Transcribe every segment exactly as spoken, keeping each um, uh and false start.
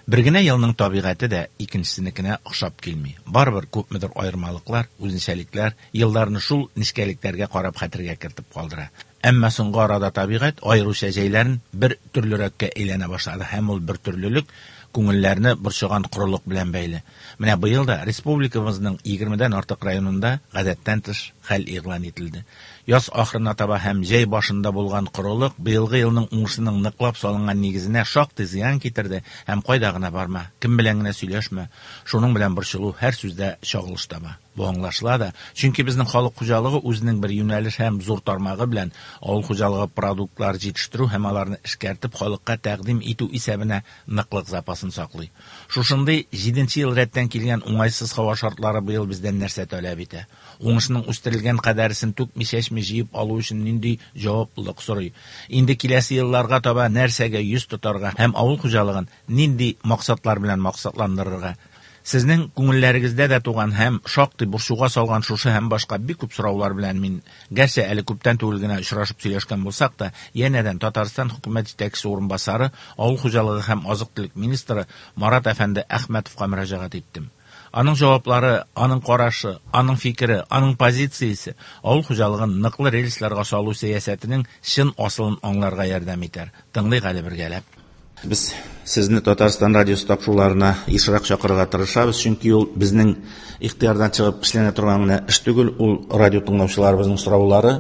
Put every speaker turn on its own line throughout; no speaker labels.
Бер генә елның табигате дә икенчесенекенә охшап килми. Барыбер күпмедер аермалыклар, үзенчәлекләр елларны шул нечкәлекләргә карап хәтергә кертеп калдыра. Әмма соңгы арада табигать аеруча җәйләрен бер төрлерәккә әйләнә башлады һәм ул бер төрлелек күңелләрне борчыган корылык белән бәйле. Менә быел да республикабызның егермедән артык районында гадәттән тыш хәл игълан ителде. Яз ахырына таба һәм җәй башында булган корылык быелгы елның уңышының ныклап салынган нигезенә шактый зыян китерде һәм кайда гына барма, кем белән генә сөйләшмә, шуның белән борчылу һәр сүздә чагылыш таба. Бу аңлашыла да, чөнки безнең халык хуҗалыгы үзенең бер юнәлеш һәм зур тармагы белән авыл хуҗалыгы продуктлары җитештерү һәм аларны эшкәртеп халыкка тәкъдим итү исәбенә ныклык запасын саклый. Шушындый җиденче ел рәттән килгән уңайсыз һава шартлары быел бездән нәрсә таләп итә? Уңышның үстерелгән кадәресен түкми-чәчми җыеп алу өчен нинди җаваплылык сорый? Инде киләсе елларга таба нәрсәгә йөз тотарга һәм авыл хуҗалыгын нинди максатлар белән максатландырырга? Сезнең күңелләрегездә дә туган һәм шактый борчуга салган шушы һәм башка бик күп сораулар белән мин, гәрчә әле күптән түгел генә очрашып сөйләшкән булсак та, янәдән Татарстан хөкүмәт җитәкчесе урынбасары, авыл хуҗалыгы һәм азык-төлек министры Марат әфәнде Әхмәтовка мөрәҗәгать иттем. Аның җаваплары, аның карашы, аның фикере, аның позициясе авыл хуҗалыгын ныклы рельсларга салу сәясәтенең чын асылын аңларга ярдәм итәр. Тыңлыйк әле бергәләп. Без сезне Татарстан радиосы тапшыруларына ешрак чакырырга тырышабыз, чөнки ул безнең ихтыярдан чыгып эшләнә торган гына эш түгел, ул радио тыңлаучыларыбызның сораулары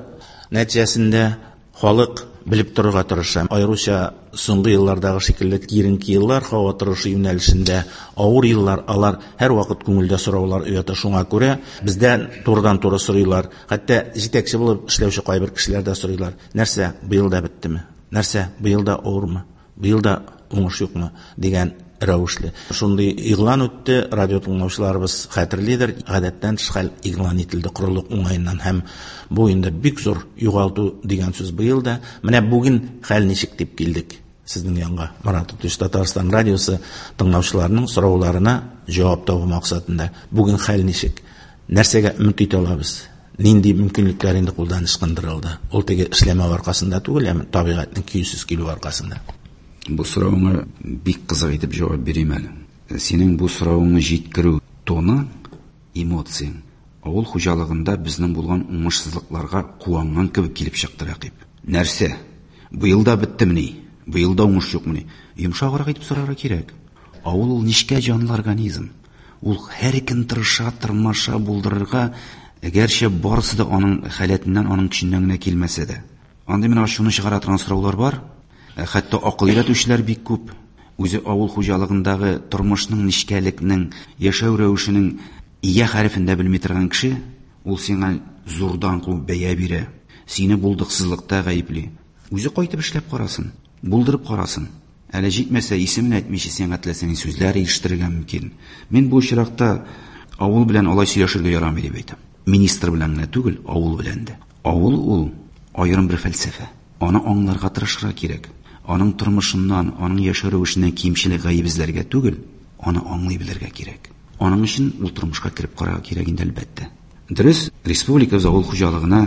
нәтиҗәсендә халык белеп торырга тырыша. Аеруча соңгы еллардагы шикелле киеренке еллар, һава торышы юнәлешендә авыр еллар, алар һәрвакыт күңелдә сораулар уята. Шуңа күрә бездән турыдан-туры сорыйлар, хәтта җитәкче булып эшләүче кайбер кешеләр дә сорыйлар. Нәрсә, быел да беттеме? Нәрсә, быел да авырмы? Быел да уңыш юкмы? Дигән рәвешле. Шундый игълан үтте, радио тыңлаучыларыбыз хәтерлидер, гадәттән тыш хәл игълан ителде корылык уңаеннан һәм бу инде бик зур югалту дигән сүз быел да. Менә бүген хәл ничек дип килдек сезнең янга. Марат Тутыш, Татарстан радиосы тыңлаучыларының сорауларына җавап табу максатында. Бүген хәл ничек? Нәрсәгә өмет итә алабыз? Нинди мөмкинлекләр инде кулдан ычкындырылды? Ул теге эшләмәү аркасында түгел, әмма табигатьнең көйсез килү аркасында.
Бу соравыңа бик кызык итеп җавап бирим әле. Синең бу соравыңны җиткерү тоны, эмоцияң авыл хуҗалыгында безнең булган уңышсызлыкларга куанган кебек килеп чыкты, Рәкыйп. Нәрсә? Быел да беттемени? Быел да уңыш юкмыни? Йомшаграк итеп сорарга кирәк. Авыл ул нечкә җанлы организм. Ул һәр көн тырыша, тырмаша булдырырга, гәрчә барысы да аның халәтеннән, аның көченнән генә килмәсә дә. Андый менә шуны чыгара торган сораулар бар. Хәтта акыл өйрәтүчеләр бик күп. Үзе авыл хуҗалыгындагы тормышның нечкәлекнең, яшәү рәвешенең ия хәрефен дә белми торган кеше, ул сиңа зурдан куып бәя бирә, сине булдыксызлыкта гаепли. Үзе кайтып эшләп карасын, булдырып карасын. Әле җитмәсә исемен әйтмичә сиңа теләсә ни сүзләр ирештерергә мөмкин. Мин бу очракта авыл белән алай сөйләшергә ярамый дип әйтәм. Министр белән генә түгел, авыл белән дә. Авыл ул аерым бер фәлсәфә. Аны аңларга тырышырга кирәк. Аның тормышыннан, аның яшәү рәвешеннән кимчелек гаеп эзләргә түгел, аны аңлый белергә кирәк. Аның өчен ул тормышка кереп карарга кирәк инде, әлбәттә. Дөрес, республикабыз авыл хуҗалыгына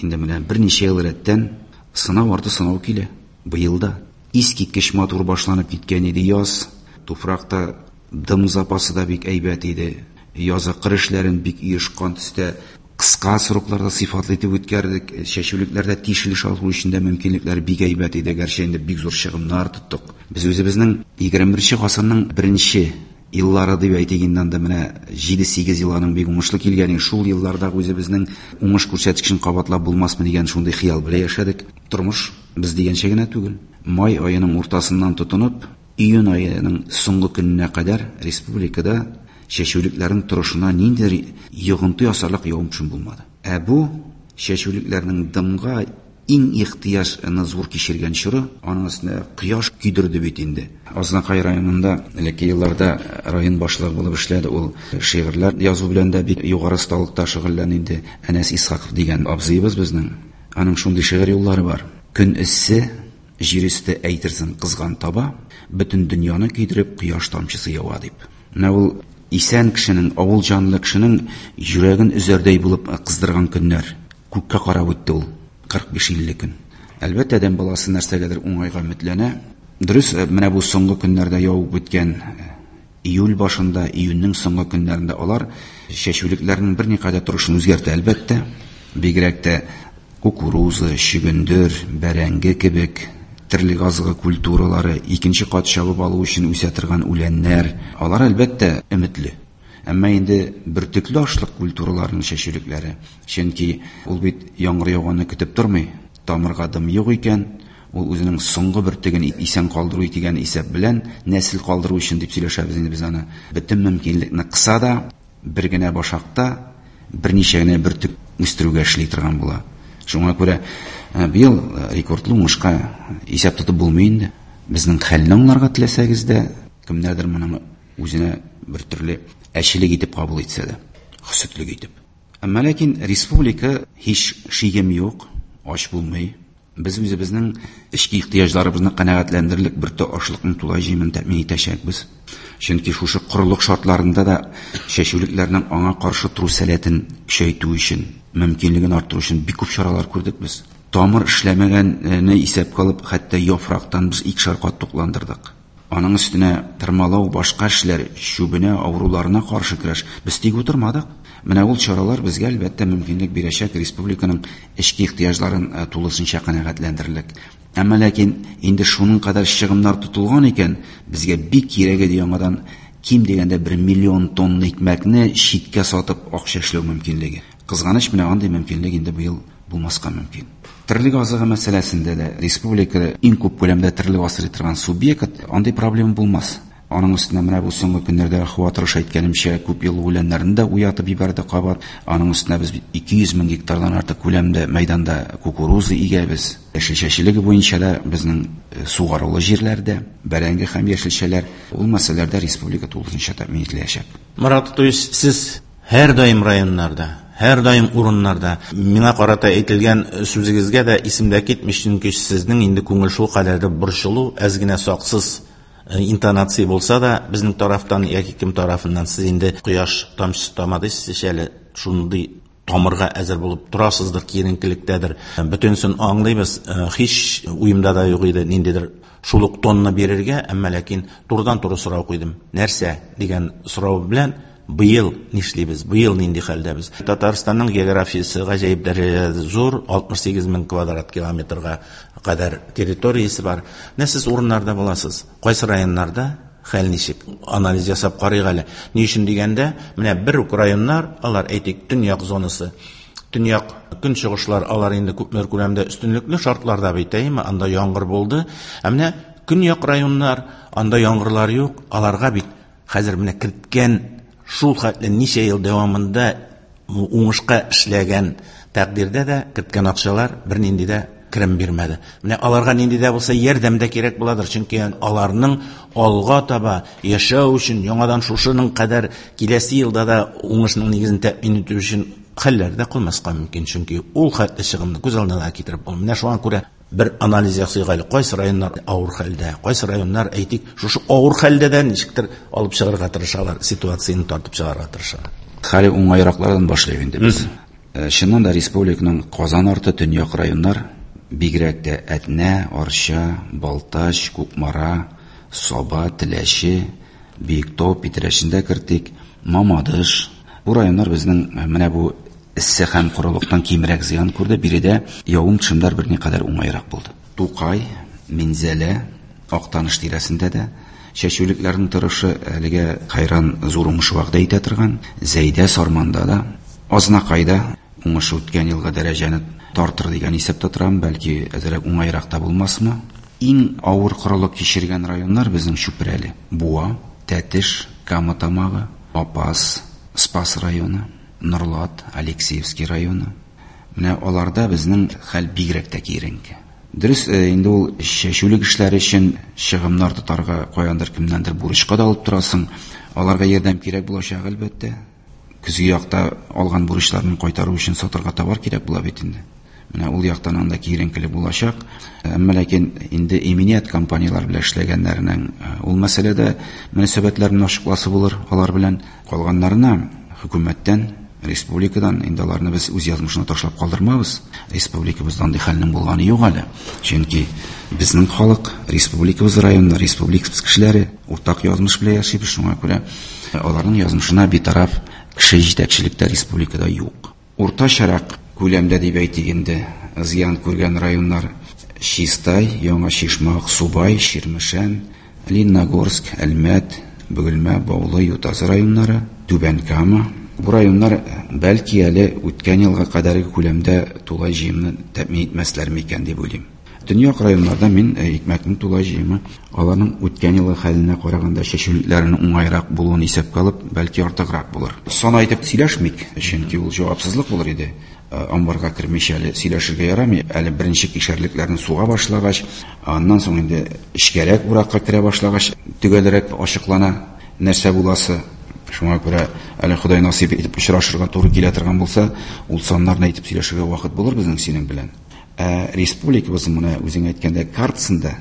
инде менә берничә ел рәттән сынау арты сынау килә. Быел да искиткеч матур башланып киткән иде яз. Туфракта дым запасы да бик әйбәт иде. Язы кыр эшләрен бик оешкан төстә кыска срокларда сыйфатлы итеп үткәрдек. Чәчүлекләрдә тишелеш алу өчен дә мөмкинлекләр бик әйбәт иде. Гәрчә инде бик зур чыгымнар тоттык. Без үзебезнең егерме беренче гасырның беренче еллары дип әйтик инде, анда менә җиде-сигез ел аның бик уңышлы килгән. Шул елларда үзебезнең уңыш күрсәткечен кабатлап булмасмы дигән шундый хыял белән яшәдек. Тормыш без дигәнчә генә түгел. Май аеның уртасыннан тотынып, июнь аеның соңгы көненә кадәр республикада чәчүлекләрнең торышына ниндидер йогынты ясарлык явым-төшем булмады. Ә бу чәчүлекләрнең дымга иң ихтыяҗны зур кичергән чоры, аның өстенә кояш көйдерде бит инде. Азнакай районында элекке елларда район башлыгы булып эшләде. Ул шигырьләр язу белән дә бик югары осталыкта шөгыльләнде инде. Әнәс Исхаков дигән абзыебыз безнең. Аның шундый шигырь юллары бар. Көн эссе, җир өсте әйтерсең кызган таба, бөтен дөньяны көйдереп кояш тамчысы ява дип. Менә ул исән кешенең, авыл җанлы кешенең йөрәген өзәрдәй булып кыздырган көннәр. Күккә карап үтте ул кырык биш-илле көн. Әлбәттә, адәм баласы нәрсәгәдер уңайга өметләнә. Дөрес, менә бу соңгы көннәрдә явып үткән июль башында, июньнең соңгы көннәрендә алар чәчүлекләрнең берникадәр торышын үзгәртә, әлбәттә. Бигрәк тә кукуруза, чөгендер, бәрәңге кебек терлек азыгы культуралары, икенче кат чабып алу өчен үсә торган үләннәр, алар әлбәттә өметле. Әмма инде бөртекле ашлык культураларының чәчүлекләре, чөнки ул бит яңгыр яуганны көтеп тормый, тамырга дым юк икән, ул үзенең соңгы бөртеген исән калдыру дигән исәп белән нәсел калдыру өчен дип сөйләшәбез инде без аны. Бөтен мөмкинлекне кыса да бер генә башакта берничә генә бөртек үстерүгә эшли торган була. Шуңа күрә быел рекордлы уңышка исәп тотып булмый инде. Безнең хәлне аңларга теләсәгез дә, кемнәрдер моны үзенә бер төрле әчелек итеп кабул итсә дә, хөсетлек итеп. Әмма ләкин республика һич шигем юк, ач булмый. Без үзебезнең эчке ихтыяҗларыбызны канәгатьләндерерлек бер төр ашлыкның тулай җыемын тәэмин итәчәкбез. Чөнки шушы корылык шартларында да чәчүлекләрнең аңа каршы тору сәләтен көчәйтү өчен, мөмкинлеген арттыру өчен бик күп чаралар күрдек без. Тамыр эшләмәгәнне исәпкә алып, хәтта яфрактан без икешәр кат тукландырдык. Аның өстенә тырмалау, башка эшләр, чүбенә, авыруларына каршы көрәш. Без тик утырмадык. Менә ул чаралар безгә әлбәттә мөмкинлек бирәчәк республиканың эчке ихтыяҗларын тулысынча канәгатьләндерерлек. Әмма ләкин инде шуның кадәр чыгымнар тотылган икән, безгә бик кирәк иде яңадан ким дигәндә бер миллион тонна икмәкне читкә сатып акча эшләү мөмкинлеге. Кызганыч, менә андый мөмкинлек инде быел булмаска мөмкин. Терлек азыгы мәсьәләсендә дә республикада иң күп күләмдә терлек асрый торган субъект, андый проблема булмас. Аның өстенә менә бу соңгы көннәрдә һава торышы әйткәнемчә күп еллык үләннәрне дә уятып җибәрде кабат. Аның өстенә без ике йөз мең гектардан артык күләмдә мәйданда кукуруза игәбез. Яшелчәчелеге буенча да безнең сугарулы җирләрдә бәрәңге һәм яшелчәләр, ул мәсьәләләрдә республика тулысынча тәэмин ителәчәк.
Марат, то есть сез һәр даим районнарда, һәр даим урыннарда миңа карата әйтелгән сүзегезгә дә исемдә китми, чөнки сезнең инде күңел шул кадәр дә борчылу, әз генә саксыз интонация булса да, безнең тарафтан яки кем тарафыннан сез инде кояш тамчысы тамады, сез әле шундый тамырга әзер булып торасыздыр, киеренкелектәдер. Бөтенсен аңлыйбыз, һич уемда да юк иде ниндидер шул ук тонна бирергә, әмма ләкин турыдан-туры сорау куйдым. Нәрсә дигән сорау белән быел нишлибез, быел нинди хәлдәбез? Татарстанның географиясе гаҗәеп дәрәҗәдә зур, алтмыш сигез мең квадрат километрга кадәр территориясе бар. Менә сез урыннарда буласыз. Кайсы районнарда хәл ничек? Анализ ясап карыйк әле. Ни өчен дигәндә, менә бер үк районнар, алар әйтик, төньяк зонасы, төньяк көнчыгышлар, алар инде күпмедер күләмдә өстенлекле шартларда бит, әйеме? Анда яңгыр булды. Ә менә көньяк районнар, анда яңгырлар юк, аларга бит хәзер менә керткән шул хәтле ничә ел дәвамында уңышка эшләгән тәкъдирдә дә керткән акчалар бернинди дә керем бирмәде. Менә аларга нинди дә булса ярдәм дә кирәк буладыр, чөнки аларның алга таба яшәү өчен яңадан шушының кадәр киләсе елда да уңышның нигезен тәэмин итү өчен хәлләр дә калмаска мөмкин, чөнки ул хәтле чыгымны күз алдына да китереп булмый. Менә шуңа күрә бер анализ ясыйк әле, кайсы районнар авыр хәлдә, кайсы районнар, әйтик, шушы авыр хәлдә дә ничектер алып чыгарга тырышалар, ситуацияне тартып чыгарга тырышалар.
Хәле уңайраклардан башлыйк инде без. Чыннан да республиканың Казан арты төньяк районнар, бигрәк тә Әтнә, Арча, Балтач, Кукмара, Саба, Теләче, Биектау, Питрәчендә кертик, Мамадыш. Бу районнар безнең менә бу эссе һәм корылыктан кимрәк зыян күрде. Биредә явым-төшемнәр берникадәр уңайрак булды. Тукай, Минзәлә, Актаныш тирәсендә дә чәчүлекләрнең торышы әлегә хайран зур уңыш вәгъдә итә торган. Зәйдә, Сарманда да, Азнакайда уңыш үткән елгы дәрәҗәне тартыр дигән исәптә торам, бәлки әзрәк уңайрак та булмасмы. Иң авыр корылык кичергән районнар безнең Чүпрәле, Буа, Тәтеш, Кама Тамагы, Апас, Спас районы, Норлат, Алексеевский районы. Менә аларда безнең хәл бигрәк тә киеренке. Дөрес, инде ул чәчүлек эшләре өчен чыгымнар тотарга каяндыр кемнәндер бурычка да алып торасың. Аларга ярдәм кирәк булачак әлбәттә. Көзге якта алган бурычларны кайтару өчен сатырга товар кирәк була бит инде. Менә ул яктан анда киеренкелек булачак. Әмма ләкин инде иминият компанияләр белән эшләгәннәрнең ул мәсьәләдә мөнәсәбәтләрен ачыкласы булыр алар белән. Калганнарына хөкүмәттән, Республикадан инде аларны без үз язмышына ташлап калдырмабыз. Республикабызда андый хәлнең булганы юк әле. Чөнки безнең халык, республикабыз районнары, республикабыз кешеләре уртак язмыш белән яшибез, шуңа күрә аларның язмышына битараф кеше җитәкчелектә республикада юк. Уртачарак күләмдә дип әйтик инде, зыян күргән районнар Чистай, Яңа Чишма, Аксубай, Чирмешән, Лениногорск, Әлмәт, Бөгелмә, Баулы, Ютазы районнары, Түбән Кама. Бу районнар бәлки әле үткән елга кадәрге күләмдә тулай җыемны тәэмин итмәсләр микән дип уйлыйм. Төньяк районнарда мин икмәкнең тулай җыемы аларның үткән елгы хәленә караганда чәчүлекләренең уңайрак булуын исәпкә алып, бәлки артыграк булыр. Сан әйтеп сөйләшмик, чөнки ул җавапсызлык булыр иде. Амбарга кермичә әле сөйләшергә ярамый. Әле беренче кишәрлекләрне суга башлагач, аннан соң инде эчкәрәк уракка керә башлагач, төгәлрәк ачыклана нәрсә буласы. Шуңа күрә әле Ходай насыйп итеп очрашырга туры килә торган булса, ул саннарны әйтеп сөйләшергә вакыт булыр безнең синең белән. Ә республикабызның менә үзең әйткәндә картасында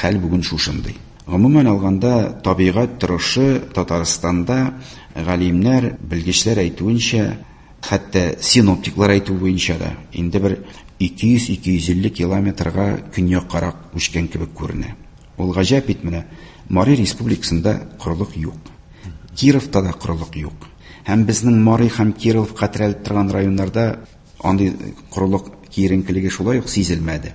хәл бүген шушындый. Гомумән алганда табигать торышы Татарстанда галимнәр, белгечләр әйтүенчә, хәтта синоптиклар әйтү буенча да инде бер ике йөз ике йөз илле километрга көньяккарак күчкән кебек күренә. Ул гаҗәп бит менә, Мари республикасында корылык юк. Кировта да корылык юк. Һәм безнең Мари һәм Кировка терәлеп торган районнарда андый корылык киеренкелеге шулай ук сизелмәде.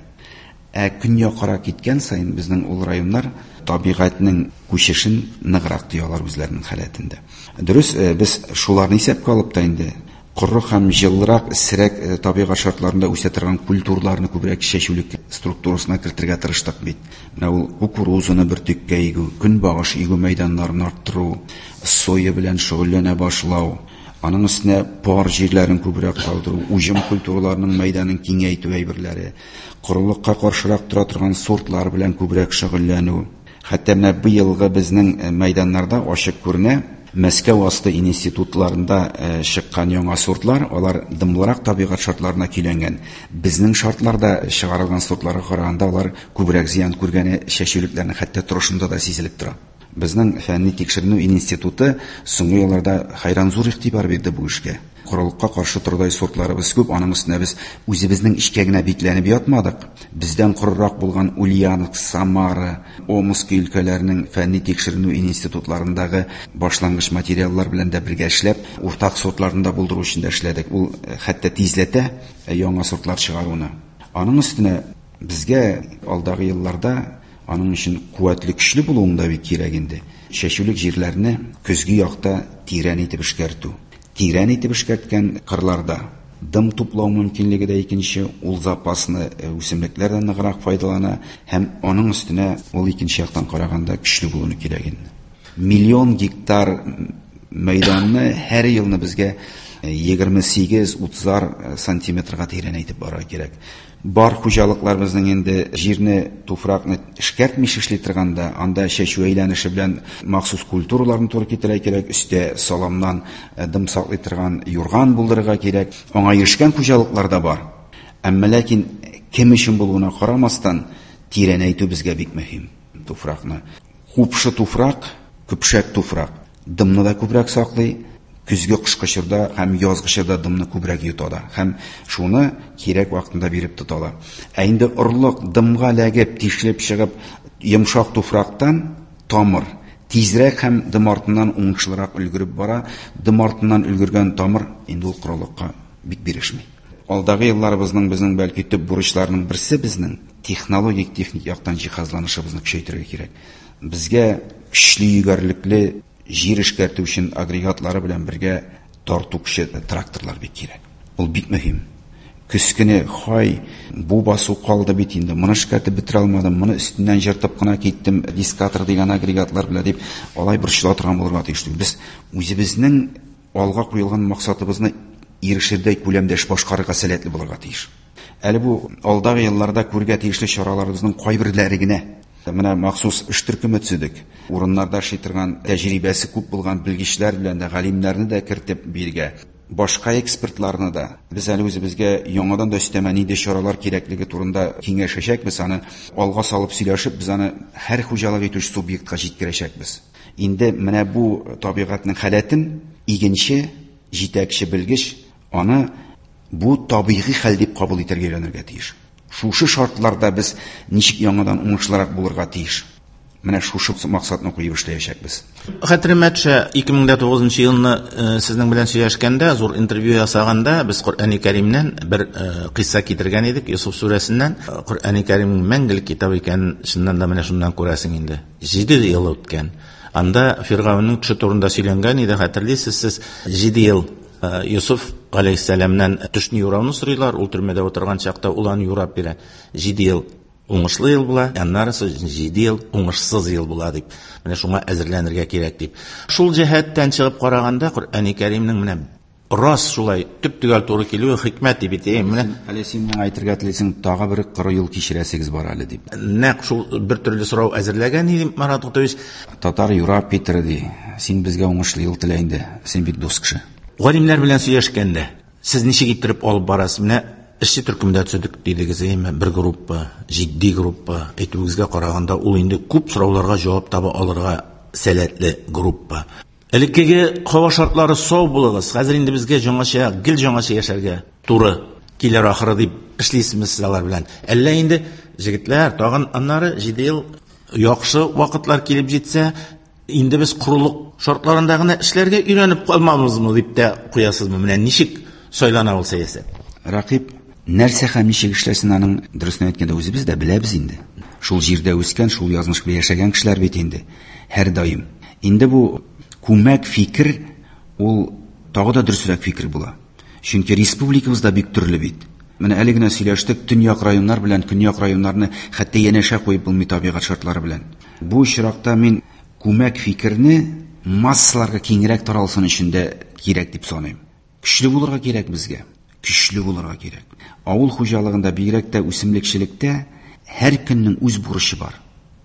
Ә көньяккарак киткән саен безнең ул районнар табигатьнең күчешен ныграк тоялар үзләренең халәтендә. Дөрес, без шуларны исәпкә алып та инде коры һәм җылырак, эссерәк табигать шартларында үсә торган культураларны күбрәк чәчүлек структурасына кертергә тырыштык бит. Менә ул кукурузаны бөртеккә игү, көнбагыш игү мәйданнарын арттыру, соя белән шөгыльләнә башлау, аның өстенә пар җирләрен күбрәк калдыру, уҗым культураларының мәйданын киңәйтү әйберләре, корылыкка каршырак тора торган сортлар белән күбрәк шөгыльләнү. Хәтта менә быелгы безнең мәйданнарда ачык күренә, Мәскәү асты институтларында чыккан яңа сортлар, алар дымлырак табигать шартларына көйләнгән. Безнең шартларда чыгарылган сортларга караганда алар күбрәк зыян күргәне чәчүлекләрнең хәтта торышында да сизелеп тора. Безнең фәнни тикшеренү институты соңгы елларда хәйран зур игътибар бирде бу эшкә. Корылыкка каршы тордай сортларыбыз күп, аның өстенә без үзебезнең эчкә генә бикләнеп ятмадык. Бездән корырак булган Ульяновск, Самара, Омск өлкәләренең фәнни тикшеренү институтларындагы башлангыч материаллар белән дә бергә эшләп, уртак сортларны да булдыру өчен дә эшләдек. Ул хәтта тизләтә яңа сортлар чыгаруны. Аның өстенә безгә алдагы елларда аның өчен куәтле, көчле булуың да бик кирәк инде. Чәчүлек җирләрне көзге якта тирән итеп эшкәртү. Тирән итеп эшкәрткән кырларда дым туплау мөмкинлеге дә икенче, ул запасны үсемлекләрдән ныграк файдалана һәм аның өстенә ул икенче яктан караганда көчле булуны кирәк инде. Миллион гектар мәйданны һәр елны безгә егерме сигез утызар сантиметрга тирәнәйтеп барырга кирәк. Бар хуҗалыклар безнең инде җирне, туфракны эшкәртми эшли торганда, анда чәчү әйләнеше белән махсус культураларны туры китерә кирәк, өстә саламнан дым саклый торган юрган булдырырга кирәк. Аңа ирешкән хуҗалыклар да бар. Әмма ләкин кем өчен булуына карамастан, тирәнәйтү безгә бик мөһим туфракны. Купшы туфрак, көпшәк туфрак дымны да күбрәк саклый, көзге кышкы чорда һәм язгы чорда дымны күбрәк йота да һәм шуны кирәк вакытында биреп тота ала. Ә инде орлык дымга эләгеп, тишелеп чыгып, йомшак туфрактан тамыр тизрәк һәм дым артыннан уңышлырак өлгереп бара. Дым артыннан өлгергән тамыр инде ул корылыкка бик бирешми. Алдагы елларыбызның безнең бәлки төп бурычларының берсе безнең технологик, техник яктан җиһазланышыбызны көчәйтергә кирәк. Безгә көчле егәрлекле җир эшкәртү өчен агрегатлары белән бергә тарту көче тракторлар бик кирәк. Ул бик мөһим. Көз көне, хай, бу басу калды бит инде, моны эшкәртеп бетерә алмадым, моны өстеннән җыртып кына киттем, дискатор дигән агрегатлар белән дип, алай борчыла торган булырга тиеш түгел. Без үзебезнең алга куелган максатыбызны ирешердәй күләмдә эш башкарырга сәләтле булырга тиеш. Әле бу алдагы елларда күргә тиешле чараларыбызның кайберләре генә. Менә махсус эш төркеме төзедек. Урыннарда эшли торган тәҗрибәсе күп булган белгечләр белән дә, галимнәрне дә кертеп биргә, башка экспертларны да. Без әле үзебезгә яңадан да өстәмә нинди чаралар кирәклеге турында киңәшәчәкбез, аны алга салып сөйләшеп, без аны һәр хуҗалык итүче субъектка җиткерәчәкбез. Инде менә бу табигатьнең халәтен игенче Җитәкче белгеч аны бу табигый хәл дип кабул итәргә өйрәнергә тиеш. Шушы шартларда без ничек яңадан уңышлырак булырга тиеш. Менә шушы максатны куеп эшләячәкбез.
Хәтеремә төшә, ике мең дә тугызынчы елны, э, сезнең белән сөйләшкәндә, зур интервью ясаганда, без Коръәни Кәримнән бер, э, кыйсса китергән идек, Йосыф сүрәсеннән. Коръәни Кәримнең мәңгелек китап икәнен чыннан да менә шуннан күрәсең инде. Җиде ел үткән. Анда Фиргавеннең төше турында сөйләнгән иде, хәтерлисез сез, җиде ел, э, Йосыф алейһиссәламнән төшне юрауны сорыйлар, ул төрмәдә утырган чакта ул аны юрап бирә. Җиде ел уңышлы ел була, аннары җиде ел уңышсыз ел була дип. Менә шуңа әзерләнергә кирәк дип. Шул җәһәттән чыгып караганда Коръәни Кәримнең менә рас шулай төп-төгәл туры килүе хикмәт дип әйтәем. Менә
әле син миңа әйтергә телисең, тагы бер коры юл кичерәсегез бар әле дип.
Нәкъ шул бер төрле сорау әзерләгән идем, Марат Гатович.
Татар юрап китер ди. Син безгә уңышлы юл телә инде. Син бик дус кеше.
Галимнәр белән сөйләшкәндә сез ничек иттереп алып барасыз? Менә эшче төркемдә төзедек дидегез, әйме, бер группа, җитди группа. Әйтүегезгә караганда ул инде күп сорауларга җавап таба алырга сәләтле группа. Элеккеге һава шартлары сау булыгыз. Хәзер инде безгә яңача, гел яңача яшәргә туры килер ахыры дип эшлисезме сез алар белән? Әллә инде җегетләр, тагын аннары җиде ел яхшы вакытлар килеп җитсә, инде без корылык шартларында гына эшләргә өйрәнеп калмабызмы дип тә куясызмы? Менә ничек сайлана ул сәясәт?
Рәкыйп, нәрсә һәм ничек эшләсен аның дөресен әйткәндә үзебез дә беләбез инде. Шул җирдә үскән, шул язмыш белән яшәгән кешеләр бит инде һәр даим. Инде бу күмәк фикер ул тагы да дөресрәк фикер була. Чөнки республикабызда бик төрле бит. Менә әле генә сөйләштек, төньяк районнар белән көньяк районнарны хәтта янәшә куеп булмый табигать шартлары белән. Бу очракта мин күмәк фикерне массаларга киңрәк таралсын өчен дә кирәк дип саныйм. Көчле булырга кирәк безгә. Көчле булырга кирәк. Авыл хуҗалыгында, бигрәк тә үсемлекчелектә һәр көннең үз бурычы бар.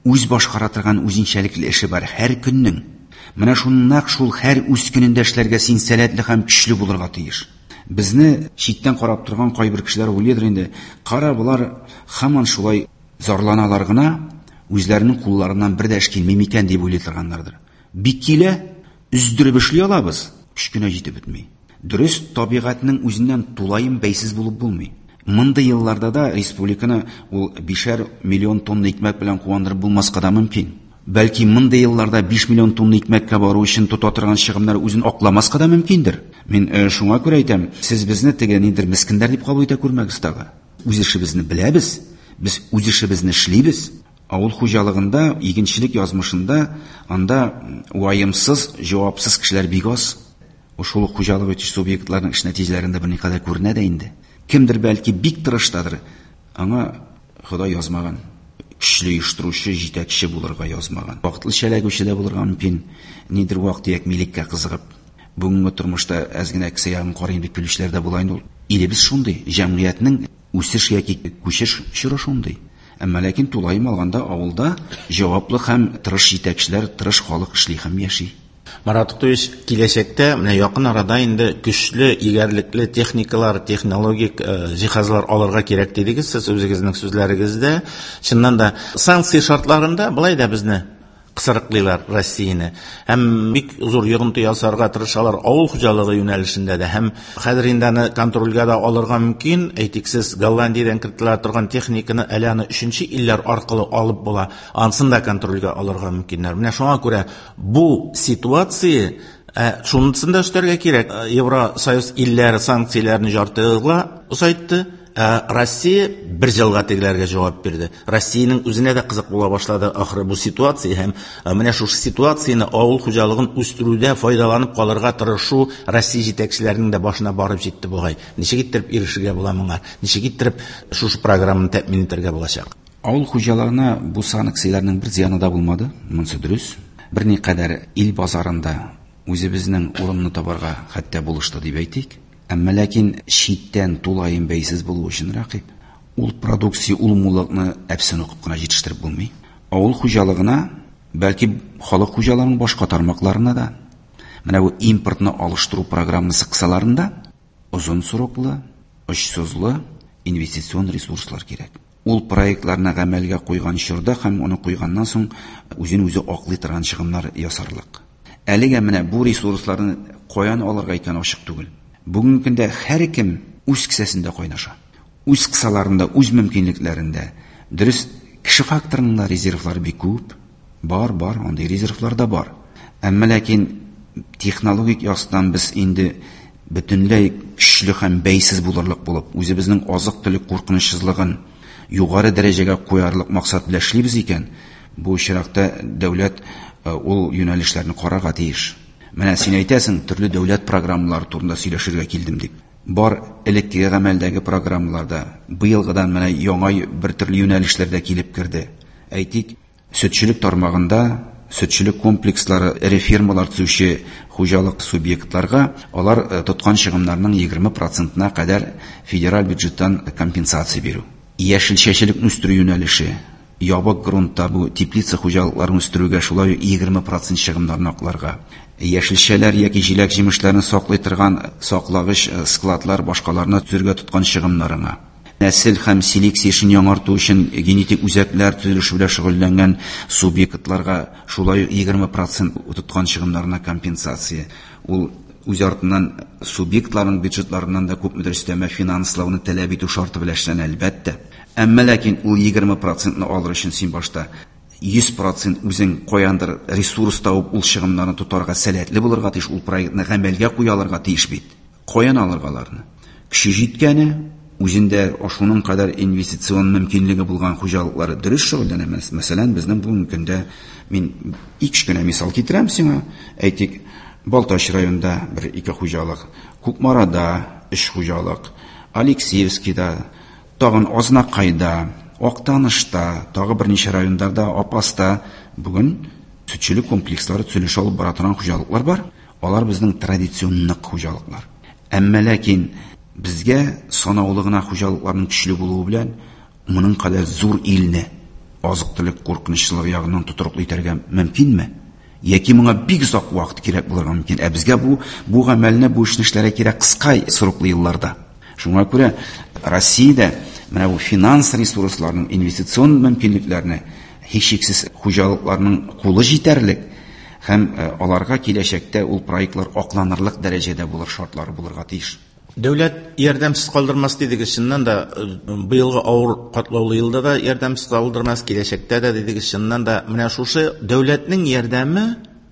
Үз башкара торган үзенчәлекле эше бар һәр көннең. Менә шуннан шул һәр үз көнендә эшләргә син сәләтле һәм көчле булырга тиеш. Безне читтән карап торган кайбер кешеләр уйлыйдыр инде, кара болар һаман шулай зарланалар гына, үзләренең кулларыннан бер дә эш килми микән дип уйлый торганнардыр. Бик килә, өздереп эшли алабыз, көч кенә җитеп бетми. Дөрес, табигатьнең үзеннән тулаем бәйсез булып булмый. Мондый елларда да республиканы ул бишәр миллион тонна икмәк белән куандырып булмаска да мөмкин. Бәлки мондый елларда биш миллион тонна икмәккә бару өчен тота торган чыгымнар үзен акламаска да мөмкиндер. Мин, э, шуңа күрә әйтәм, сез безне теге нидер мескеннәр дип кабул итә күрмәгез тагы. Үз эшебезне беләбез, без үз эшебезне эшлибез. Авыл хуҗалыгында, игенчелек язмышында анда ваемсыз, җавапсыз кешеләр бик аз. Шул ук хуҗалык итүче субъектларның эш нәтиҗәләрендә берникадәр күренә дә инде. Кемдер бәлки бик тырыштадыр, аңа Ходай язмаган. Көчле оештыручы, җитәкче булырга язмаган. Вакытлыча эләгүче дә булырга мөмкин. Нидер вак-төяк милеккә кызыгып, бүгенге тормышта әз генә кесә ягын карыйм дип килүчеләр дә була инде ул. Илебез шундый, җәмгыятьнең үсеш яки күчеш чоры шундый. Әмма ләкин тулаем алганда авылда җаваплы һәм тырыш җитәкчеләр, тырыш халык эшли һәм яши.
Марат Гатович, киләчәктә менә якын арада инде көчле, егәрлекле техникалар, технологик, э, җиһазлар алырга кирәк дидегез сез үзегезнең сүзләрегездә. Чыннан да санкция шартларында былай да безне кысрыклыйлар Россияне. Һәм бик зур йогынты ясарга тырышалар авыл хуҗалыгы юнәлешендә дә. Һәм хәзер инде аны контрольгә дә алырга мөмкин. Әйтик, сез Голландиядән кертелә торган техниканы әле аны өченче илләр аркылы алып була. Ансын да контрольгә алырга мөмкиннәр. Менә шуңа күрә бу ситуация, ә, шунысын да өстәргә кирәк. Ә, Евросоюз илләре санкцияләрне жарты елга озайтты. Ә, Россия бер елга тегеләргә җавап бирде. Россиянең үзенә дә кызык була башлады ахыры бу ситуация һәм, ә, менә шушы ситуацияне авыл хуҗалыгын үстерүдә файдаланып калырга тырышу Россия җитәкчеләренең дә башына барып җитте бугай. Ничек иттереп ирешергә була моңа? Ничек иттереп шушы программаны тәэмин итәргә булачак?
Авыл хуҗалыгына бу санкцияләрнең бер зыяны да булмады, монысы дөрес. Берникадәр ил базарында үзебезнең урынны табарга хәтта булышты дип әйтик. Әмма ләкин читтән тулаем бәйсез булу өчен рәкыйп. Ул продукция, ул муллыкны әпсен укып кына җитештереп булмый. Авыл хуҗалыгына, бәлки халык хуҗалыгының башка тармакларына да, менә бу импортны алыштыру программасы кысаларында озын сроклы, очсызлы инвестицион ресурслар кирәк. Ул проектларны гамәлгә куйган чорда һәм аны куйганнан соң үзен үзе аклый торган чыгымнар ясарлык. Әлегә менә бу ресурсларны Каян алырга икән ачык түгел. Бүгенге көндә һәркем үз кесәсендә кайнаша. Үз кысаларында, үз мөмкинлекләрендә. Дөрес, кеше факторының да резервлары бик күп. Бар, бар, андый резервлар да бар. Әмма ләкин технологик яктан без инде бөтенләй көчле һәм бәйсез булырлык булып, үзебезнең азык-төлек куркынычсызлыгын югары дәрәҗәгә куярлык максат белән эшлибез икән, бу очракта дәүләт ул юнәлешләрне карарга тиеш. Менә син әйтәсең, төрле дәүләт программалары турында сөйләшергә килдем дип. Бар элеккеге гамәлдәге программаларда быелгыдан менә яңа бер төрле юнәлешләрдә килеп керде. Әйтик, сөтчелек тармагында сөтчелек комплекслары, эре фирмалар төзүче хуҗалык субъектларга алар тоткан чыгымнарның егерме процентына кадәр федераль бюджеттан компенсация бирү. Яшелчәчелекне үстерү юнәлеше, ябык грунтта бу теплица хуҗалыкларын үстерүгә шулай егерме процент чыгымнарны акларга. Яшелчәләр яки җиләк-җимешләрне саклый торган саклагыч складлар башкаларны төзергә тоткан чыгымнарына. Нәсел һәм селекция эшен яңарту өчен генетик үзәкләр төзелеше белән шөгыльләнгән субъектларга шулай егерме процент тоткан чыгымнарына компенсация. Ул үз артыннан субъектларның бюджетларыннан да күпмедер өстәмә финанслауны таләп итү шарты белән эшләнә, әлбәттә. Әмма ләкин ул егерме процентны алыр өчен син башта йөз процент үзең каяндыр ресурс табып ул чыгымнарны тотарга сәләтле булырга тиеш, ул проектны гамәлгә куя алырга тиеш бит. Каян алырга аларны? Көче җиткәне, үзендә шуның кадәр инвестицион мөмкинлеге булган хуҗалыклары дөрес шөгыльләнә. Мәсәлән, безнең бүгенге көндә мин ике кенә мисал китерәм сиңа. Әйтик, Балтач районында бер ике хуҗалык, Кукмарада өч хуҗалык, Алексеевскийда, тагын Азнакайда, Актанышта, тагы берничә райондарда, Апаста бүген сөтчелек комплекслары төзелеш алып бара торган хуҗалыклар бар. Алар безнең традицион хуҗалыклар. Әмма ләкин безгә санаулы гына хуҗалыкларның көчле булуы белән моның кадәр зур илне азык-төлек куркынычсызлыгы ягыннан тотрыклы итәргә мөмкинме? Яки моңа бик озак вакыт кирәк булырга мөмкин. Ә безгә бу, бу гамәлне, бу эшне эшләргә кирәк кыска сроклы елларда. Шуңа күрә Россиядә менә бу финанс ресурсларының, инвестицион мөмкинлекләрне һичшиксез хуҗалыкларның кулы җитәрлек һәм аларга киләчәктә ул проектлар акланырлык дәрәҗәдә булыр шартлары булырга тиеш.
Дәүләт ярдәмсез калдырмас дидегез, чыннан да быелгы авыр катлаулы елда да ярдәмсез калдырмас, киләчәктә дә дидегез, чыннан да менә шушы дәүләтнең ярдәме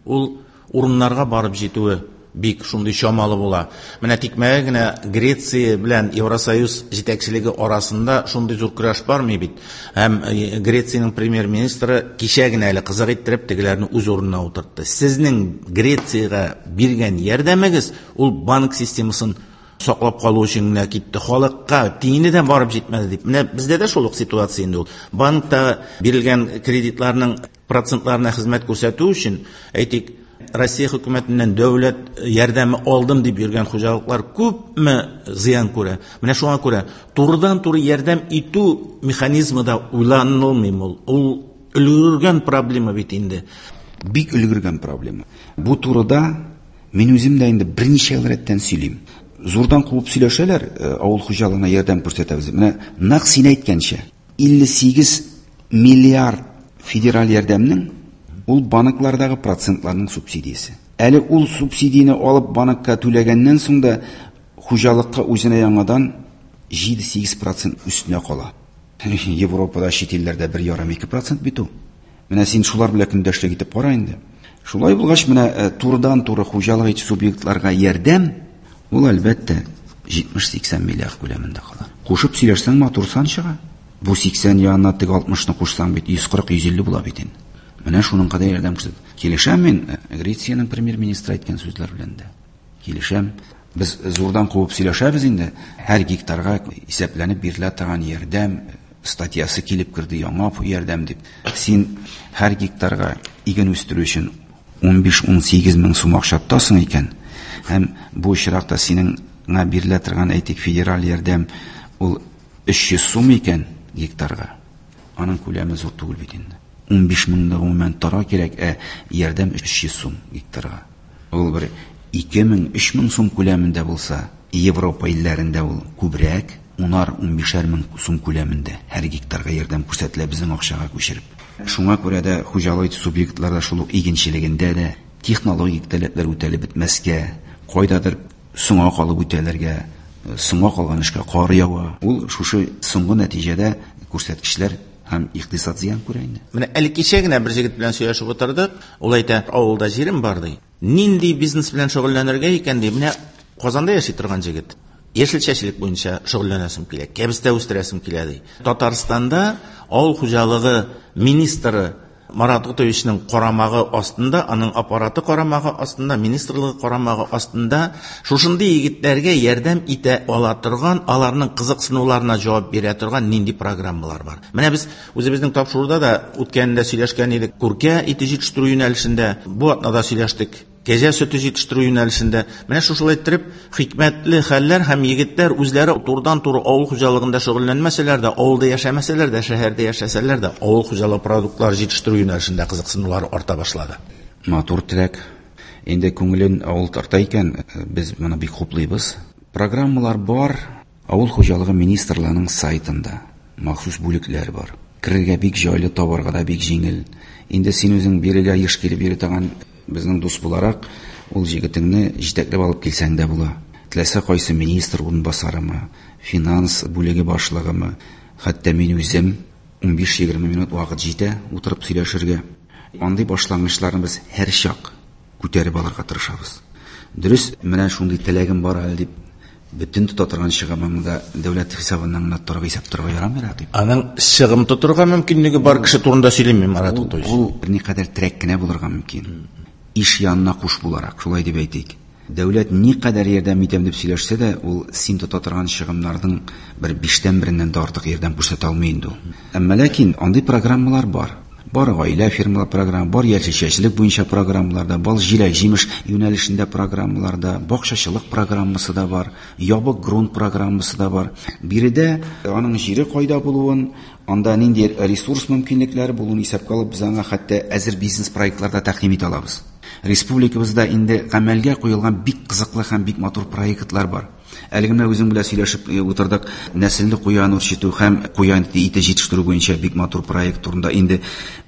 ул урыннарга барып җитүе бик шундый чамалы була. Менә тикмәгә генә Греция белән Евросоюз җитәкчелеге арасында шундый зур көрәш бармый бит. Һәм Грециянең премьер-министры кичә генә әле кызык иттереп тегеләрне үз урынына утыртты. Сезнең Грециягә биргән ярдәмегез ул банк системасын саклап калу өчен генә китте, халыкка тиене дә барып җитмәде дип. Менә бездә дә шул ук ситуация инде ул. Банкта бирелгән кредитларның процентларына хезмәт күрсәтү өчен, әйтик, Россия хөкүмәтеннән дәүләт ярдәме алдым дип йөргән хуҗалыклар күпме зыян күрә. Менә шуңа күрә турыдан-туры ярдәм итү механизмы да уйланылмый ул. Ул өлгергән проблема бит инде.
Бик өлгергән проблема. Бу турыда мин үзем дә инде берничә ел рәттән сөйлим. Зурдан куып сөйләшәләр, авыл хуҗалыгына ярдәм күрсәтәбез. Менә нәкъ син әйткәнчә, илле сигез миллиард федераль ярдәмнең ул банклардагы процентларның субсидиясе. Әле ул субсидияне алып банкка түләгәннән соң да хуҗалыкка үзенә яңадан җиде-сигез процент өстенә кала. Европада, чит илләрдә бер ярым ике процент бит ул. Менә син шулар белән көндәшлек итеп кара инде. Шулай булгач, менә турыдан-туры хуҗалык итүче субъектларга ярдәм ул әлбәттә җитмеш-сиксән миллиард күләмендә кала. Кушып сөйләшсәң матур сан чыга. Бу сиксән янына теге алтмышны кушсаң бит йөз кырык, йөз илле була бит инде. Менә шуның кадәр ярдәм күрсәтә. Килешәм мин Грециянең премьер-министры әйткән сүзләр белән дә. Килешәм. Без зурдан куып сөйләшәбез инде. Һәр гектарга исәпләнеп бирелә торган ярдәм статьясы килеп керде, яңа ярдәм дип. Син һәр гектарга иген үстерү өчен унбиш-унсигез мең сум акча тотасың икән, һәм бу очракта синең бирелә торган, әйтик, федераль ярдәм ул өч йөз сум икән гектарга. Аның күләме зур түгел бит инде. Унбиш меңне гомумән тора кирәк, ә ярдәм өч йөз сум гектарга. Ул бер ике мең, өч мең сум күләмендә булса, Европа илләрендә ул күбрәк, унар, унбишәр мең сум күләмендә һәр гектарга ярдәм күрсәтелә безнең акчага күчереп. Шуңа күрә дә хуҗалык субъектларда шул ук игенчелегендә дә технологик таләпләр үтәлеп бетмәскә, Кайдадыр соңга калып үтәләргә, соңга калган эшкә кар ява. Ул шушы соңгы нәтиҗәдә күрсәткечләр һәм икътисад зыян күрә инде.
Менә әле кичә генә бер җегет белән сөйләшеп утырдык. Ул әйтә, авылда җирем бар ди. Нинди бизнес белән шөгыльләнергә икән ди. Менә Казанда яши торган җегет. Яшелчәчелек буенча шөгыльләнәсем килә, кәбестә үстерәсем килә ди. Татарстанда авыл хуҗалыгы министры Марат Готовичның карамагы астында, аның аппараты карамагы астында, министрлыгы карамагы астында шушындый егетләргә ярдәм итә ала торган, аларның кызыксынуларына җавап бирә торган нинди программалар бар. Менә без үзебезнең тапшыруда да үткәндә сөйләшкән идек, күркә ите җитештерү юнәлешендә, бу атнада сөйләштек. Кәҗә сөте җитештерү юнәлешендә. Менә шушылай иттереп хикмәтле хәлләр һәм егетләр үзләре турыдан-туры авыл хуҗалыгында шөгыльләнмәсәләр дә, авылда яшәмәсәләр дә, шәһәрдә яшәсәләр дә, авыл хуҗалыгы продуктлары җитештерү юнәлешендә кызыксынулары арта башлады.
Матур теләк. Инде күңелен авыл тарта икән, без моны бик хуплыйбыз. Программалар бар. Авыл хуҗалыгы министрлыгының сайтында махсус бүлекләр бар. Керергә бик җайлы, табарга да бик җиңел. Инде син үзең бирегә еш килеп йөри торган безнең дус буларак, ул җегетеңне җитәкләп алып килсәң дә була. Теләсә кайсы министр урынбасарымы, финанс бүлеге башлыгымы, хәтта мин үзем унбиш-егерме минут вакыт җитә утырып сөйләшергә. Андый башлангычларны без һәр чак күтәреп алырга тырышабыз. Дөрес, менә шундый теләгем бар әле дип бөтен тота торган чыгымыңны да дәүләт хисабыннан гына торырга исәп торырга ярамый, Рәкыйп.
Аның чыгым тотырга мөмкинлеге бар кеше турында сөйләмим, Марат Готович.
Ул берникадәр терәк кенә булырга мөмкин. Иш янына куш буларак, шулай дип әйтик. Дәүләт никадәр ярдәм итәм дип сөйләшсә дә, ул син тота торган чыгымнарның бер биштән береннән дә артык ярдәм күрсәтә алмый инде ул. Әмма ләкин андый программалар бар. Бар гаилә фирмалар программа, бар яшелчәчелек буенча программалар да, бар җиләк-җимеш юнәлешендә программалар да, бакчачылык программасы да бар, ябык грунт программасы да бар. Биредә аның җире кайда булуын, анда нинди ресурс мөмкинлекләре булуын исәпкә алып, без аңа хәтта әзер бизнес проектлар да тәкъдим итә алабыз. Республикабызда инде гамәлгә куелган бик кызыклы һәм бик матур проектлар бар. Әле генә үзең белән сөйләшеп утырдык, нәселле куян үрчетү һәм куян ите җитештерү буенча бик матур проект турында. Инде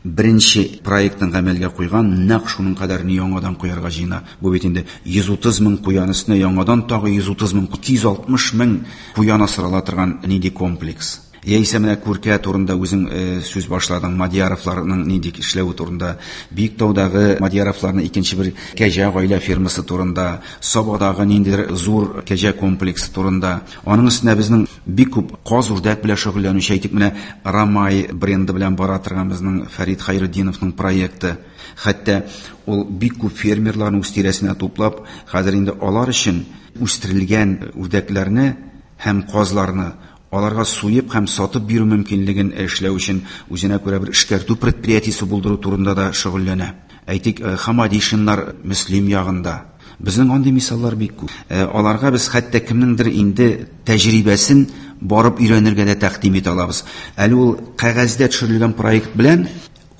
беренче проектын гамәлгә куйган, нәкъ шуның кадәрне яңадан куярга җыена. Бу бит инде йөз утыз мең куян өстенә яңадан тагы йөз утыз мең, ике йөз алтмыш мең куян асрала торган нинди комплекс. Яисә менә күркә турында үзең сүз башладың, Мадияровларның нинди эшләве турында, Биектаудагы Мадияровларның икенче бер кәҗә гаилә фермасы турында, Сабадагы ниндидер зур кәҗә комплексы турында. Аның өстенә безнең бик күп каз үрдәк белән шөгыльләнүче, әйтик, менә Рамай бренды белән бара торган безнең Фәрит Хайретдиновның проекты. Хәтта ул бик күп фермерларны үз тирәсенә туплап, хәзер инде алар өчен үстерелгән үрдәкләрне һәм казларны аларга суеп һәм сатып бирү мөмкинлеген эшләү өчен үзенә күрә бер эшкәртү предприятиесе булдыру турында да шөгыльләнә. Әйтик, Хамадишиннар Мөслим ягында. Безнең андый мисаллар бик күп. Аларга без хәтта кемнеңдер инде тәҗрибәсен барып өйрәнергә дә тәкъдим итә алабыз. Әле ул кәгазьдә төшерелгән проект белән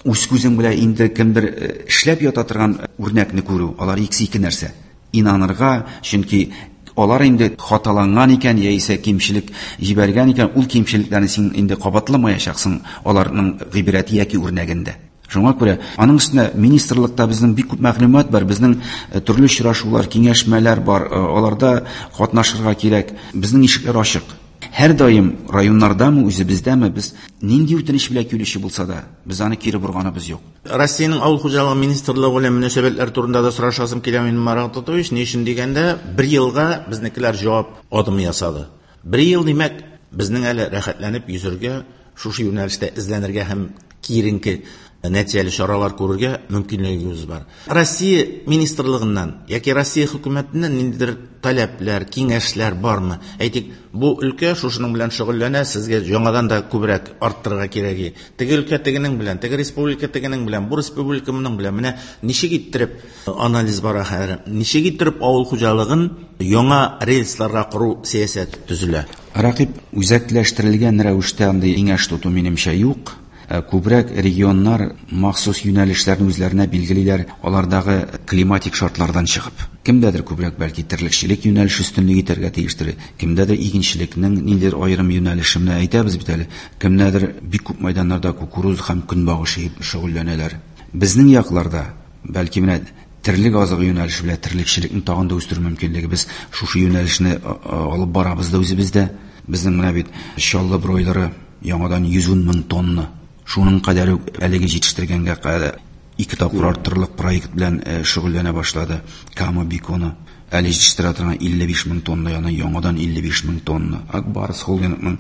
үз күзең белән инде кемдер эшләп ята торган үрнәкне күрү, алар икесе ике нәрсә. Инанырга, чөнки алар инде хаталанган икән, яисә кимчелек җибәргән икән, ул кимчелекләрне син инде кабатламаячаксың аларның гыйбрәте яки үрнәгендә. Шуңа күрә аның өстенә министрлыкта безнең бик күп мәгълүмат бар, безнең төрле очрашулар, киңәшмәләр бар, аларда катнашырга кирәк. Безнең ишекләр ачык. Һәр даим районнардамы, үзебездәме, без нинди үтенеч белән килүче булса да, без аны кире борганыбыз юк.
Россиянең авыл хуҗалыгы министрлыгы белән мөнәсәбәтләр турында да сорашасым килә минем, Марат Готович. Ни өчен дигәндә, бер елга безнекеләр җавап адымы ясады. Бер ел димәк, безнең әле рәхәтләнеп йөзергә, шушы юнәлештә эзләнергә һәм киеренке нәтиҗәле чаралар күрергә мөмкинлегебез бар. Россия министрлыгыннан яки Россия хөкүмәтеннән ниндидер таләпләр, киңәшләр бармы? Әйтик, бу өлкә шушының белән шөгыльләнә, сезгә яңадан да күбрәк арттырырга кирәк. Теге өлкә тегенең белән, теге республика тегенең белән, бу республика моның белән. Менә ничек иттереп анализ бара хәзер? Ничек иттереп авыл хуҗалыгын яңа рельсларга кору сәясәте төзелә?
Рәкыйп, үзәкләштерелгән рәвештә андый киңәш тоту минемчә юк. Күбрәк регионнар махсус юнәлешләрне үзләренә билгелиләр, алардагы климатик шартлардан чыгып. Кемдәдер күбрәк бәлки терлекчелек юнәлеше өстенлек итәргә тиештер, кемдәдер игенчелекнең ниндидер аерым юнәлеше, менә әйтәбез бит әле, кемдәдер бик күп мәйданнарда кукуруз һәм көнбагыш егеп шөгыльләнәләр. Безнең якларда бәлки менә Терлек азыгы юнәлеше белән терлекчелекне тагын да үстерү мөмкинлеге. Без шушы юнәлешне алып барабыз да үзебездә. Безнең менә бит Чаллы бройлеры яңадан йөз ун мең тонна. Шуның кадәр үк әлеге җитештергәнгә кадәр ике тапкыр арттырырлык проект белән шөгыльләнә башлады. Кама беконы әле җитештерә торган илле биш мең тонна, яны яңадан илле биш мең тонна. Ак Барс холдингның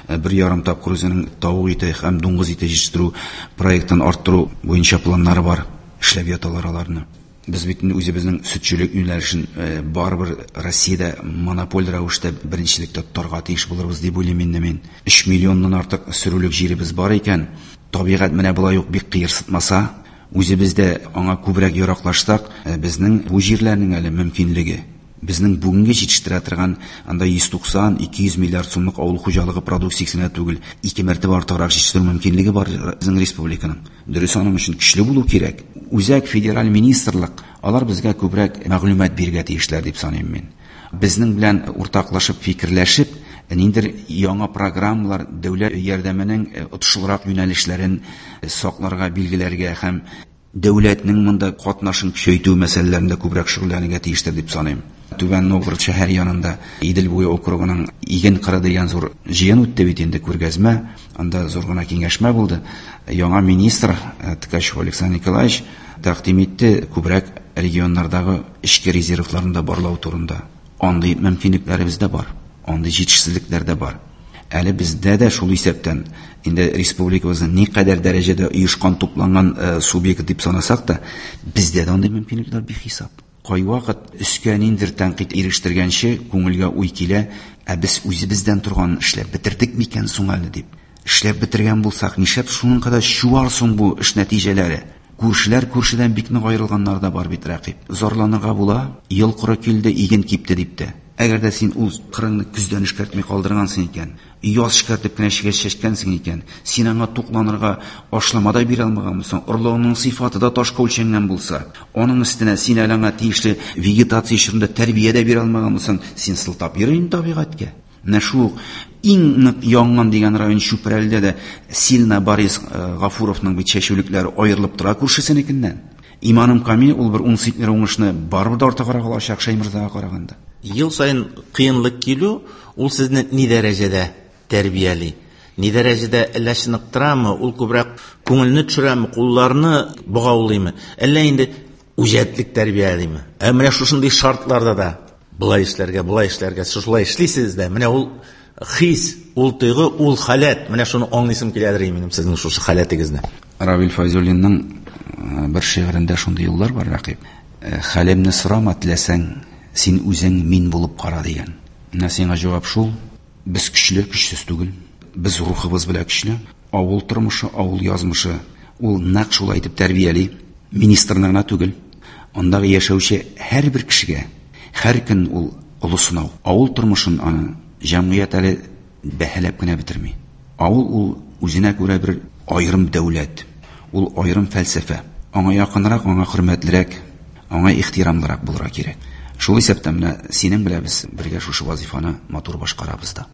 бер ярым тапкыр үзенең тавык ите һәм дуңгыз ите җитештерү проектын арттыру буенча планнары бар. Эшләп яталар аларны. Без бит инде үзебезнең сөтчелек юнәлешен барыбер Россиядә монополь рәвештә беренчелектә тотарга тиеш булырбыз дип уйлыйм инде мин. Өч миллионнан артык сөрүлек җиребез бар икән, табигать менә болай ук бик кыерсытмаса, үзебез дә аңа күбрәк яраклашсак, безнең бу җирләрнең әле мөмкинлеге, безнең бүгенге җитештерә торган анда йөз туксан, ике йөз миллиард сумлык авыл хуҗалыгы продукциясенә түгел, ике мәртәбә артыграк җитештерү мөмкинлеге бар безнең республиканың. Дөрес, аның өчен көчле булу кирәк. Үзәк федераль министрлык, алар безгә күбрәк мәгълүмат бирергә тиешләр дип саныйм мин. Безнең белән уртаклашып, фикерләшеп, ниндидер яңа программалар, дәүләт ярдәменең отышлырак юнәлешләрен сакларга, билгеләргә һәм дәүләтнең монда катнашын көчәйтү мәсьәләләрендә күбрәк шөгыльләнергә тиештер дип саныйм. Түбән Новгород шәһәре янында Идел буе округының Иген кыры дигән зур җыен үтте бит инде, күргәзмә, анда зур гына киңәшмә булды. Яңа министр Ткачев Александр Николаевич тәкъдим итте күбрәк регионнардагы эчке резервларны да барлау турында. Андый мөмкинлекләребез дә бар, андый җитешсезлекләр дә бар. Әле бездә дә шул исәптән инде республикабызны никадәр дәрәҗәдә оешкан, тупланган субъект дип санасак та, бездә дә андый мөмкинлекләр бихисап. Кайвакыт өскә ниндидер тәнкыйть ирештергәнче күңелгә уй килә, ә без үзебездән торганын эшләп бетердек микән соң әле дип. Эшләп бетергән булсак, нишләп шуның кадәр чуар соң бу эш нәтиҗәләре? Күршеләр күршедән бик нык аерылганнар да бар бит, рәкыйп. Зарланырга була, ел коры килде, иген кипте дип тә. Әгәр дә син ул кырыңны көздән эшкәртми калдыргансың икән, яз эшкәртеп кенә чәч чәчкәнсең икән, син аңа тукланырга ашлама да бирә алмаган булсаң, орлыгыңның сыйфаты да ташка үлчәнгән булса, аның өстенә син әле аңа тиешле вегетация чорында тәрбия дә бирә алмаган булсаң, син сылтап йөр инде табигатькә. Менә шул иң нык янган дигән район Чүпрәледә дә Сильна Борис Гафуровның бит чәчүлекләре аерылып тора күршесенекеннән. Иманым камил, ул бер ун центнер уңышны барыбер дә артыграк алачак Шәйморзага караганда.
Ел сайын кыенлык килү, ул сезне ни дәрәҗәдә тәрбияли, ни дәрәҗәдә әллә чыныктырамы, ул күбрәк күңелне төшерәме, кулларны богаулыймы, әллә инде үҗәтлек тәрбиялиме? Ә менә шушындый шартларда да былай эшләргә, былай эшләргә, шулай эшлисез дә, менә ул хис, ул тойгы, ул халәт, менә шуны аңлыйсым киләдер минем сезнең шушы халәтегезне.
Равил Файзуллинның бер шигырендә шундый юллар бар, рәкыйп. Хәлемне сорама теләсәң, син үзең мин булып кара дигән. Менә сиңа җавап шул: без көчле, көчсез түгел. Без рухыбыз белән көчле. Авыл тормышы, авыл язмышы ул нәкъ шулай итеп тәрбияли. Министрны гына түгел, андагы яшәүче һәрбер кешегә һәр көн ул олы сынау. Авыл тормышын аны җәмгыять әле бәһаләп кенә бетерми. Авыл ул үзенә күрә бер аерым дәүләт, ул аерым фәлсәфә. Аңа якынрак, аңа хөрмәтлерәк, аңа ихтирамлырак булырга кирәк. Шул исәптән менә синең белән без бергә шушы вазифаны матур башкарабыз да.